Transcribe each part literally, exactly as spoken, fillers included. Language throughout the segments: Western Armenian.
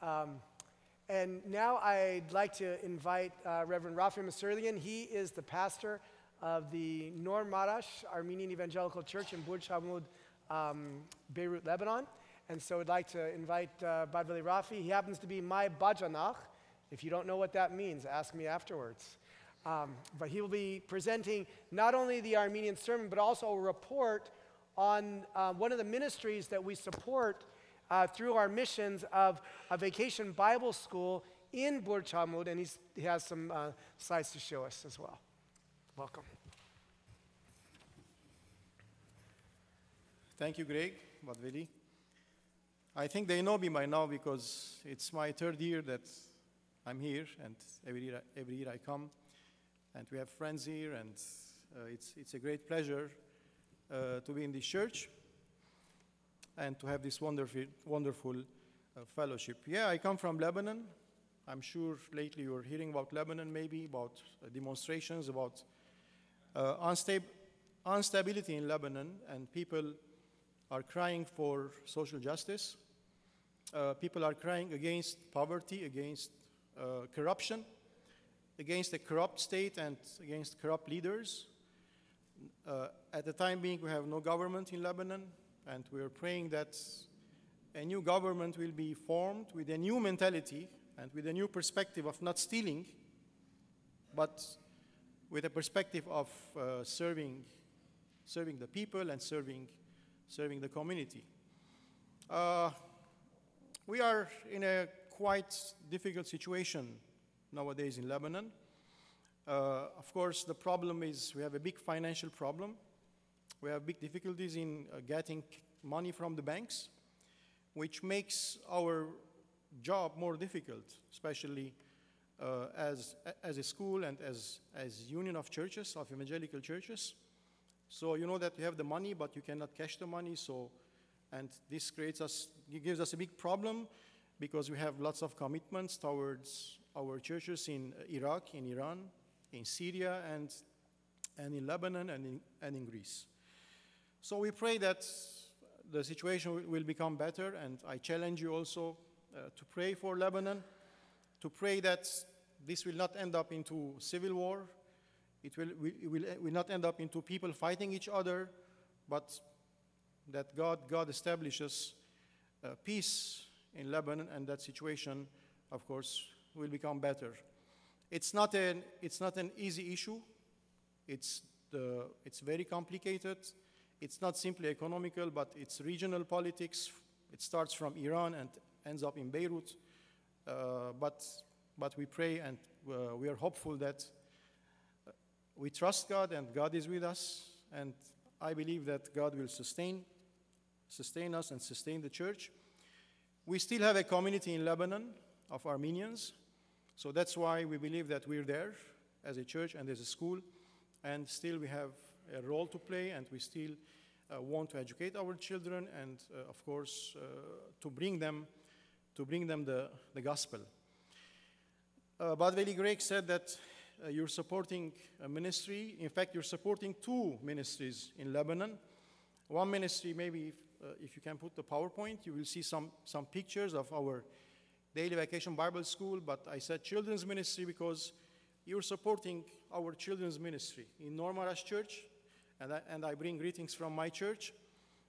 Um, and now I'd like to invite uh, Reverend Rafi Masurlian. He is the pastor of the Nor Marash Armenian Evangelical Church in Burj Hamud, um, Beirut, Lebanon. And so I'd like to invite uh, Badveli Rafi. He happens to be my bajanach. If you don't know what that means, ask me afterwards. Um, but he will be presenting not only the Armenian sermon, but also a report on uh, one of the ministries that we support uh, through our missions of a vacation Bible school in Burj Hamud, and he's, he has some uh, slides to show us as well. Welcome. Thank you, Greg, Badveli. I think they know me by now because it's my third year that I'm here, and every year, every year I come, and we have friends here, and uh, it's, it's a great pleasure uh, to be in this church and to have this wonderful, wonderful uh, fellowship. Yeah, I come from Lebanon. I'm sure lately you're hearing about Lebanon, maybe about uh, demonstrations, about uh, unstab- instability in Lebanon, and people are crying for social justice. Uh, people are crying against poverty, against uh, corruption, against a corrupt state and against corrupt leaders. Uh, at the time being, we have no government in Lebanon, and we are praying that a new government will be formed with a new mentality and with a new perspective of not stealing, but with a perspective of uh, serving, serving the people and serving, serving the community. Uh, we are in a quite difficult situation nowadays in Lebanon. Uh, of course, the problem is we have a big financial problem. We have big difficulties in uh, getting money from the banks, which makes our job more difficult, especially uh, as, as a school and as, as Union of Churches, of Evangelical Churches. So you know that you have the money, but you cannot cash the money. So, and this creates us, it gives us a big problem because we have lots of commitments towards our churches in Iraq, in Iran, in Syria, and, and in Lebanon, and in, and in Greece. So we pray that the situation will become better, and I challenge you also uh, to pray for Lebanon, to pray that this will not end up into civil war. It will, will, will, will not end up into people fighting each other, but that God, God establishes uh, peace in Lebanon, and that situation, of course, will become better. It's not an, it's not an easy issue. It's, the, it's very complicated. It's not simply economical, but it's regional politics. It starts from Iran and ends up in Beirut. Uh, but, but we pray and uh, we are hopeful that uh, we trust God and God is with us. And I believe that God will sustain, sustain us and sustain the church. We still have a community in Lebanon of Armenians. So that's why we believe that we're there as a church and as a school. And still we have a role to play, and we still uh, want to educate our children and, uh, of course, uh, to bring them, to bring them the, the gospel. Uh, Badveli Greg said that uh, you're supporting a ministry. In fact, you're supporting two ministries in Lebanon. One ministry, maybe if, uh, if you can put the PowerPoint, you will see some, some pictures of our Daily Vacation Bible School, but I said children's ministry because you're supporting our children's ministry in Nor Marash Church, and I, and I bring greetings from my church,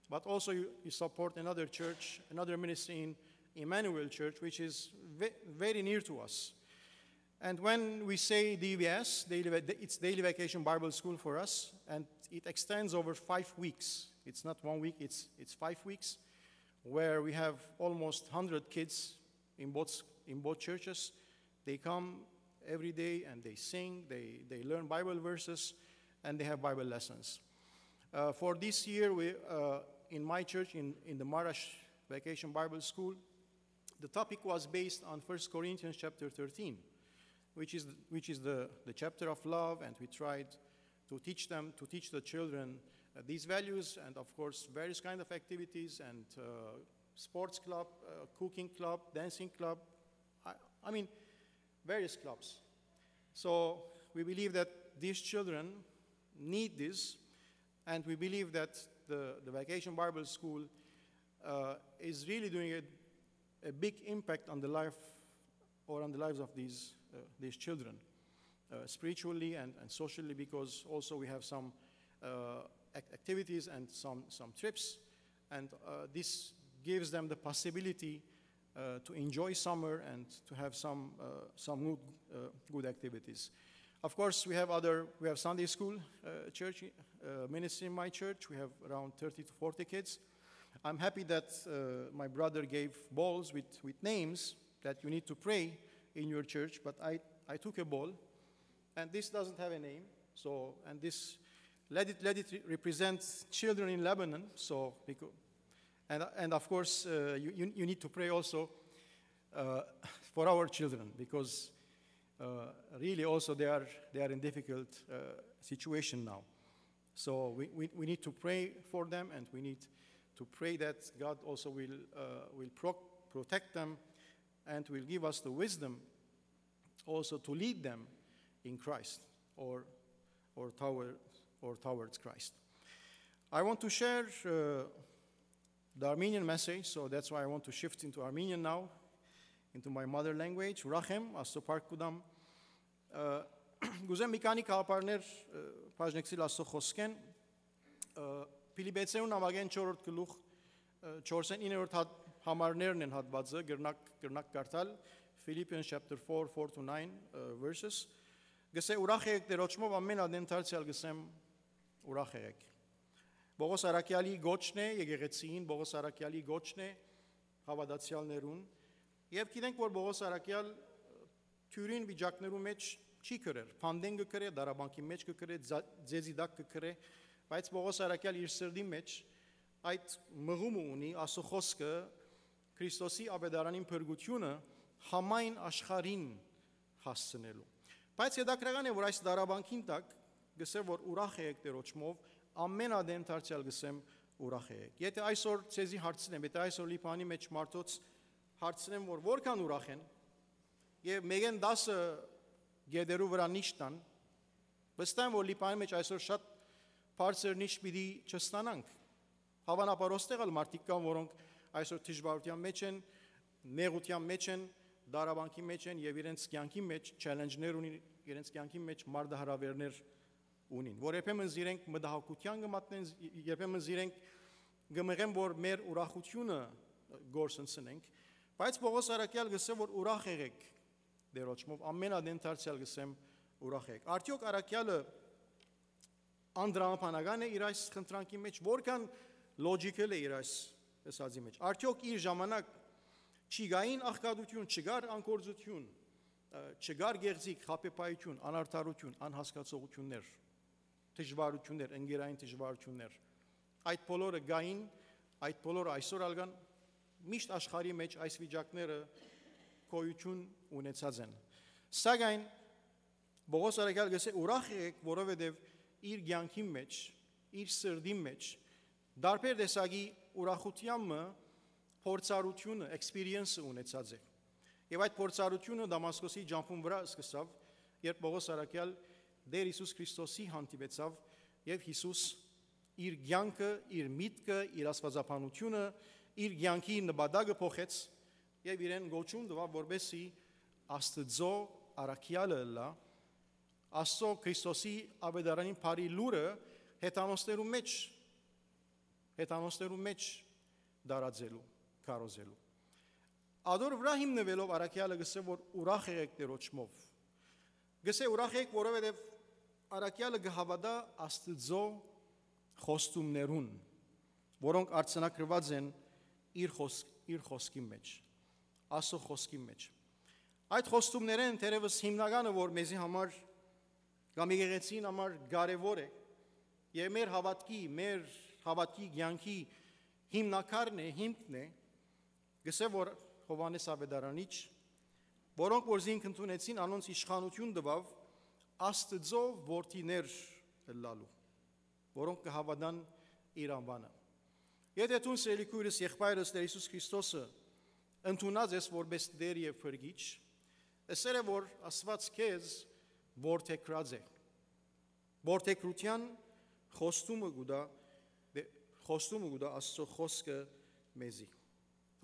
but also you, you support another church, another ministry in Emmanuel Church, which is ve- very near to us. And when we say D V S, daily, it's Daily Vacation Bible School for us, and it extends over five weeks. It's not one week, it's, it's five weeks, where we have almost one hundred kids in both, in both churches. They come every day and they sing, they, they learn Bible verses, and they have Bible lessons. Uh, for this year, we, uh, in my church, in, in the Marash Vacation Bible School, the topic was based on First Corinthians chapter thirteen, which is, which is the, the chapter of love, and we tried to teach them, to teach the children uh, these values, and of course, various kind of activities, and uh, sports club, uh, cooking club, dancing club, I, I mean, various clubs. So we believe that these children need this, and we believe that the, the Vacation Bible School uh, is really doing a, a big impact on the life or on the lives of these, uh, these children, uh, spiritually and, and socially, because also we have some, uh, ac- activities and some, some trips, and, uh, this gives them the possibility, uh, to enjoy summer and to have some, uh, some good, uh, good activities. Of course, we have other, we have Sunday school, uh, church, uh, ministry in my church. We have around thirty to forty kids. I'm happy that, uh, my brother gave balls with, with names that you need to pray in your church, but I, I took a ball, and this doesn't have a name, so, and this, let it, let it re- represent children in Lebanon, so, becau- and, and of course, uh, you, you, you need to pray also, uh, for our children, because, uh, really also they are, they are in difficult, uh, situation now. So we, we, we need to pray for them, and we need to pray that God also will, uh, will pro- protect them and will give us the wisdom also to lead them in Christ or, or, toward, or towards Christ. I want to share, uh, the Armenian message, so that's why I want to shift into Armenian now, into my mother language. Ուրախ եմ, Աստուծոյ փառք կու տամ։ Ը, կ'ուզեմ մի քանի գաղափարներ, ը, բաժնեկցիլ Աստուծոյ խօսքէն։ Ը, Փիլիպեցերուն նամակէն չորրորդ գլուխ, ը, չորսէն իններորդ հատ-, համարներն են հատուածը, կրնաք, կրնաք կարդալ, Philippians chapter four, four to nine, ը, verses։ Գսե, «Ուրախ եղեք Տիրոջմով, ամէն ատեն դարձեալ գսեմ, ուրախ եղեք»։ Պողոս առաքեալի գոչն է, եկեղեցին, Պողոս առաքեալի գոչն է, հաւատացեալներուն։ Եւ գիտենք, որ Պողոս առաքեալ թիւրին վիճակներու մէջ չի կրեր, փանտէն կը կրէ, դարաբանքի մէջ կը կրէ, ձա-, ձեզի տակ կը կրէ, բայց Պողոս առաքեալ իր սրտի մէջ այդ մղումը ունի, Աստուծոյ խօսքը Քրիստոսի աւետարանին փրկութիւնը համայն աշխարհին հասցնելու։ Բայց հետաքրական է, որ այս դարաբանքին տակ գսե, որ «Ուրախ եղեք Տիրոջմով, ամէն ատեն դարձեալ գսեմ, ուրախ եղեք»։ Եթէ այսօր ձեզի հարցնեմ, եթէ այսօր Լիբանանի մէջ մարդոց հարցնեմ, որ որքան ուրախ են, եւ մէկէն տասը գետերու վրայ նիշ տան, վստահ եմ, որ Լիբանանի մէջ այսօր շատ բարձր նիշ պիտի չստանանք։ Հաւանաբար, ոստեղ ալ մարդիկ կան, որոնք այսօր դժուարութեան մէջ են, նեղութեան մէջ են, դարաբանքի մէջ են եւ իրենց կեանքի մէջ challenge-ներ ունին, իրենց կեանքի մէջ մարտահրաւերներ ունին, որ երբեմն զիրենք մտահոգութեան կը մատնեն, երբեմն զիրենք կը մղեն, որ մեր ուրախութիւնը կորսնցնենք, բայց Պողոս առաքեալ գսե, որ «Ուրախ եղեք Տիրոջմով, ամէն ատեն դարձեալ գսեմ, ուրախ եղեք»։ Արդեօք առաքեալը անդրամաբանական է իր այս խնդրանքի մէջ, որքան logical է իր այս ըսածի մէջ։ Արդեօք իր ժամանակ չի գային աղքատութիւն, չկար անկործութիւն, ը, չկար գեղձիկ, խաբեբայութիւն, անարդարութիւն, անհասկացողութիւններ, դժուարութիւններ, ընկերային դժուարութիւններ։ Այդ բոլորը գային, այդ բոլորը այսօր ալ կան, միշտ աշխարհի մէջ այս վիճակները գոյութիւն ունեցած են։ Սակայն Պողոս առաքյալ գսե, «Ուրախ եղեք, որովհետև իր կեանքին մէջ, իր սրտին մէջ, տարբեր տեսակի ուրախութեան մը փորձառութիւնը, experience-ը ունեցած է»։ Եւ այդ փորձառութիւնը Դամասկոսի ճամբուն վրայ սկսաւ, երբ Պողոս առաքյալ Տեր Յիսուս Քրիստոսի հանդիպեցաւ, եւ Յիսուս իր կեանքը, իր միտքը, իր աստվածաբանությունը, իր կեանքի նպատակը փոխեց, եւ իրեն կոչում տուաւ, որպեսզի Աստուծոյ առաքեալը ըլլայ, Աստուծոյ Քրիստոսի աւետարանին բարի լուրը հեթանոսներու մէջ, հեթանոսներու մէջ տարածելու, քարոզելու։ Ատոր վրայ հիմնուելով առաքեալը գսե, որ «Ուրախ եղեք Տիրոջմով»։ Գսե, «Ուրախ եղեք, որովհետև առաքեալը կը հաւատայ Աստուծոյ խոստումներուն, որոնք արձանագրուած են իր խոս-, իր խօսքին մէջ, Աստուծոյ խօսքին մէջ»։ Այդ խոստումներէն թերեւս հիմնականը, որ մեզի համար կամ եկեղեցին համար կարեւոր է, եւ մեր հաւատքի, մեր հաւատքի կեանքի հիմնակարն է, հիմքն է, գսե, որ Յովհաննէս Աւետարանիչ, որոնք որ զինք ընդունեցին, անոնց իշխանութիւն տուաւ Աստուծոյ որդիներ ըլլալու, որոնք կը հաւատան իր անուանը։ Եթէ դուն, սիրելի քոյրս, եղբայրս, Տեր Յիսուս Քրիստոսը ընդունած ես որպես Տեր եւ Փրկիչ, ըսել է, որ Աստուած քեզ որդեգրած է։ Որդեգրութեան խոստումը կու տայ, դե, խոստումը կու տայ Աստուծոյ խօսքը մեզի։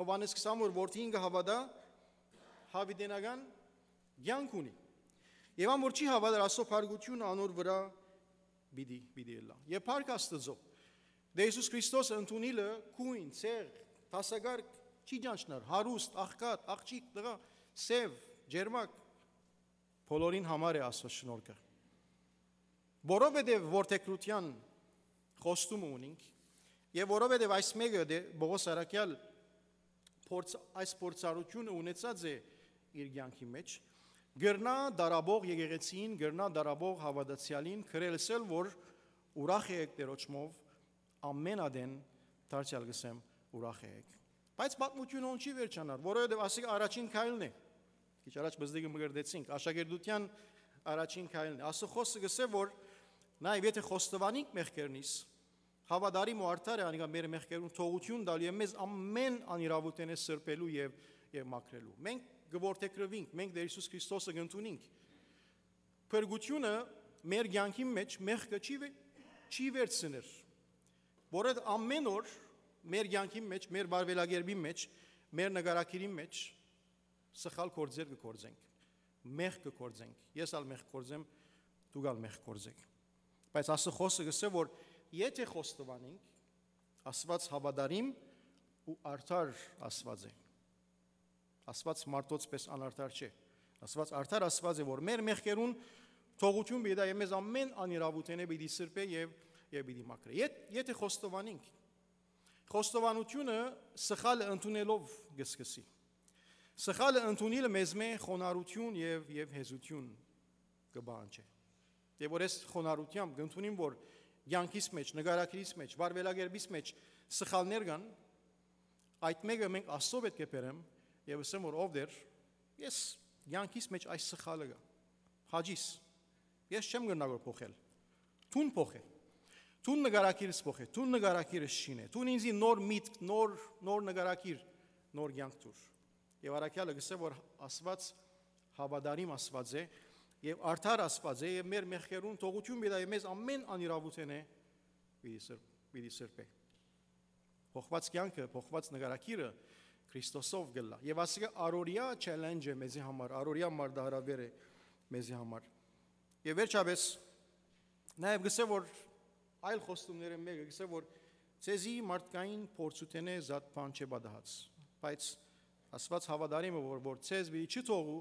Յովհաննէս քսան որ որդին կը հաւատայ, յաւիտենական կեանք ունի։ Եւ ան որ չի հաւատար, ասոր փառկութիւնը անոր վրայ պիտի, պիտի ըլլայ։ Եւ փառք Աստուծոյ, դե Յիսուս Քրիստոսը ընդունիլը կոյն, ցեղ, դասակարգ չի ճանչնար, հարուստ, աղքատ, աղջիկ, տղայ, սեւ, ջերմակ, բոլորին համար է ասոր շնորհքը։ Որովհետեւ որդեգրութեան խոստումը ունինք, եւ որովհետեւ այս մէկը դե Պողոս առաքեալ փորձ-, այս փորձառութիւնը ունեցած է իր կեանքի մէջ, կրնայ դարաբող եկեղեցին, կրնայ դարաբող հաւատացեալին գրել, ասել որ ուրախ եք Տէրոջմով, ամէն ատեն դարձեալ կ'ըսեմ ուրախ եք։ Բայց պատմութիւնը հոն չի վերջանար, որովհետեւ ասիկա առաջին քայլն է։ Քիչ առաջ բզդիկը մկրտեցինք, աշակերտութեան առաջին քայլն է։ Ասոր խօսքը կ'ըսէ որ նաեւ եթէ խոստովանինք մեղքերնիս, հաւատարիմ ու արդար է անիկա մեր մեղքերուն թողութիւն տալու եւ մեզ ամէն անիրաւութենէ սրբելու եւ, եւ մաքրելու։ Մենք կ'որդեգրուինք, մենք Տէր Յիսուս Քրիստոսը կ'ընդունինք։ Փրկութիւնը մեր կեանքին մէջ մեղքը չի, վե-, չի վերցներ, որովհետեւ ամէն օր մեր կեանքին մէջ, մեր վարուելակերպին մէջ, մեր նկարագիրին մէջ սխալ գործեր կը գործենք, մեղք կը գործենք, ես ալ մեղք գործեմ, դուք ալ մեղք գործեք։ Բայց Աստուծոյ խօսքը կ'ըսէ որ եթէ խոստովանենք, Աստուած հաւատարիմ ու արդար Աստուած է։ Աստուած մարդոց պէս անարդար չէ։ Աստուած արդար Աստուած է, որ մեր մեղքերուն թողութիւն պիտի տայ եւ մեզ ամէն անիրաւութենէ պիտի սրբէ եւ, եւ պիտի մաքրէ։ Եթ-, եթէ խոստովանենք, խոստովանութիւնը սխալը ընդունելով կը սկսի։ Սխալը ընդունիլը մեզմէ խոնարհութիւն եւ, եւ հեզութիւն կը պահանջէ։ Եւ որ ես խոնարհութեամբ կ'ընդունիմ, որ կեանքիս մէջ, նկարագիրիս մէջ, վարուելակերպիս մէջ սխալներ կան, այդ մէկը մենք Աստծոյ պէտք է բերեմ եւ ըսեմ որ ով Տէր, ես կեանքիս մէջ այս սխալը կայ, հաճիս, ես չեմ կրնար որ փոխել, դուն փոխէ, դուն նկարագիրս փոխէ, դուն նկարագիրս շինէ, դուն ինձի նոր միտք, նոր, նոր նկարագիր, նոր կեանք տուր։ Եւ առաքեալը կ'ըսէ որ Աստուած հաւատարիմ Աստուած է եւ արդար Աստուած է եւ մեր մեղքերուն թողութիւն պիտի տայ եւ մեզ ամէն անիրաւութենէ պիտի սրբ-, պիտի սրբէ։ Փոխուած կեանքը, փոխուած նկարագիրը Քրիստոսով կ'ըլլայ։ Եւ ասիկա առօրեայ challenge է մեզի համար, առօրեայ մարտահրաւեր է մեզի համար։ Եւ վերջապէս, նաեւ կ'ըսէ որ այլ խոստումներէն մէկը կ'ըսէ որ ձեզի մարդկային փորձութենէ զատ բան չէ պատահած, բայց Աստուած հաւատարիմ է որ, որ ձեզ պիտի չթողու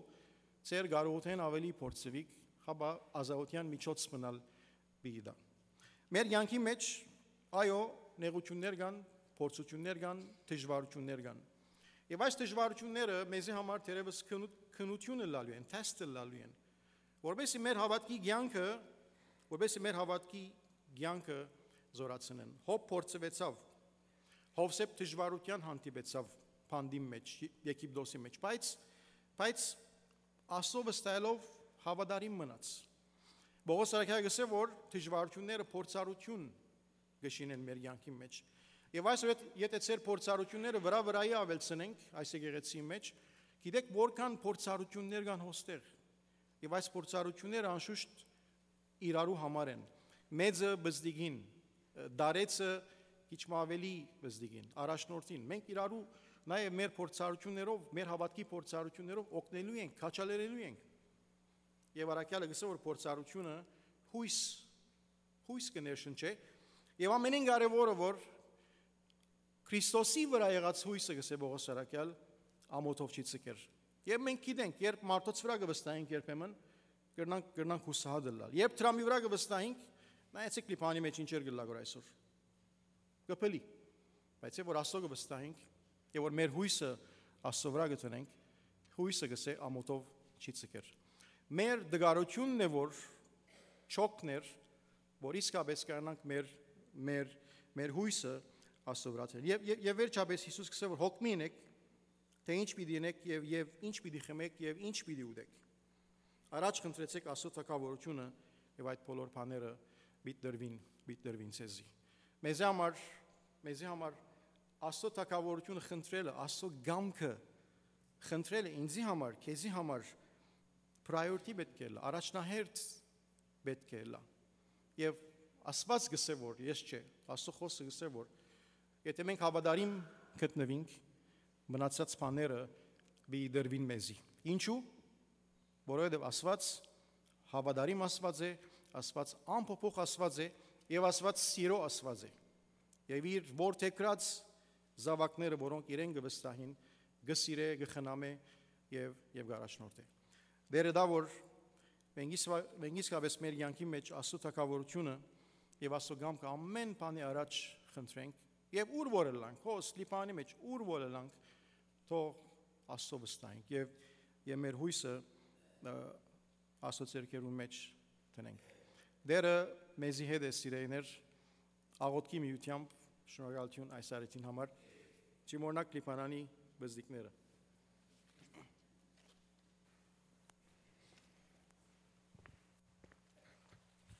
ձեր կարողութենէն աւելի փորձուիք, հապա ազատութեան միջոց մնալ պիտի տայ։ Մեր կեանքի մէջ, այո, նեղութիւններ կան, փորձութիւններ կան, դժուարութիւններ կան։ Եւ այս դժուարութիւնները մեզի համար թերեւս քնու-, քննութիւն ըլլալու են, test ըլլալու են, որպեսզի մեր հաւատքի կեանքը, որպեսզի մեր հաւատքի կեանքը զորացնեն։ Յոբ փորձուեցաւ, Յովսէփ դժուարութեան հանդիպեցաւ բանտին մէջ, Եգիպտոսի մէջ, բայց, բայց Աստծո վստահելով հաւատարիմ մնաց։ Պողոս առաքյալը կ'ըսէ որ դժուարութիւնները փորձառութիւն կը շինեն մեր կեանքի մէջ։ Եւ այսօր եթ-, եթէ ձեր փորձառութիւնները վրայ վրայի աւելցնենք այս եկեղեցիի մէջ, գիտեք որքան փորձառութիւններ կան հոստեղ։ Եւ այս փորձառութիւնները անշուշտ իրարու համար են։ Մեծը բզդիգին, դարեցը քիչ մը աւելի բզդիգին, առաջնորդին։ Մենք իրարու նաեւ մեր փորձառութիւններով, մեր հաւատքի փորձառութիւններով օգնելու ենք, քաջալերելու ենք։ Եւ առաքյալը կ'ըսէ որ փորձառութիւնը յոյս, յոյս կը ներշնչէ, եւ ամենէն կարեւորը որ Քրիստոսի վրայ եղած յոյսը, կ'ըսէ Պողոս առաքյալ, ամօթով չի ցկեր։ Եւ մենք գիտենք, երբ մարդոց վրայ կը վստահենք երբեմն, կրնանք, կրնանք յուսահատ ըլլալ։ Երբ դրամի վրայ կը վստահենք, նայեցեք Լիբանանի մէջ ինչեր կ'ըլլայ որ այսօր։ Կը փլի։ Բայց երբ որ Աստծո կը վստահենք, եւ որ մեր յոյսը Աստծո վրայ կը դնենք, յոյսը, կ'ըսէ, ամօթով չի ցկեր։ Մեր դժուարութիւնն է որ չօգներ, որ իսկապէս կարենանք մեր, մեր, մեր յոյսը Աստծո վրայ դնել։ Եւ, եւ, եւ վերջապէս Յիսուս կ'ըսէ որ հոգ մի ընեք, թէ ինչ պիտի ընեք եւ, եւ ինչ պիտի խմեք եւ ինչ պիտի ուտեք։ Առաջ խնդրեցեք Աստծո թագաւորութիւնը, եւ այդ բոլոր բաները պիտի տրուին, պիտի տրուին ձեզի։ Մեզի համար, մեզի համար Աստծո թագաւորութիւնը խնդրելը, Աստծո կամքը խնդրելը ինձի համար, քեզի համար priority պէտք է ըլլայ, առաջնահերթ պէտք է ըլլայ։ Եւ Աստուած կ'ըսէ որ, ես չէ, Աստծո խօսքը կ'ըսէ որ, եթէ մենք հաւատարիմ գտնուինք, մնացած բաները պիտի տրուին մեզի։ Ինչու՞։ Որովհետեւ Աստուած հաւատարիմ Աստուած է, Աստուած անփոփոխ Աստուած է եւ Աստուած սիրո Աստուած է։ Եւ իր որդեգրած զաւակները, որոնք իրեն կը վստահին, կը սիրէ, կը խնամէ եւ, եւ կ'առաջնորդէ։ Տէրը տայ, որ մենք իսկա-, մենք իսկապես մեր կեանքի մէջ Աստուծոյ թագաւորութիւնը եւ Աստուծոյ կամքը ամէն բանի առաջ խնդրենք, եւ ուր որ ըլլանք, հոս Լիբանանի մէջ, ուր որ ըլլանք, թող Աստուծոյ վստահենք եւ, եւ մեր յոյսը, ը, Աստուծոյ ձեռքերուն մէջ դնենք։ Տէրը մեզի հետ է, սիրելիներ, աղօթքի միութեամբ շնորհակալութիւն այս առիթին համար, չմոռնաք Լիբանանի բզդիկները։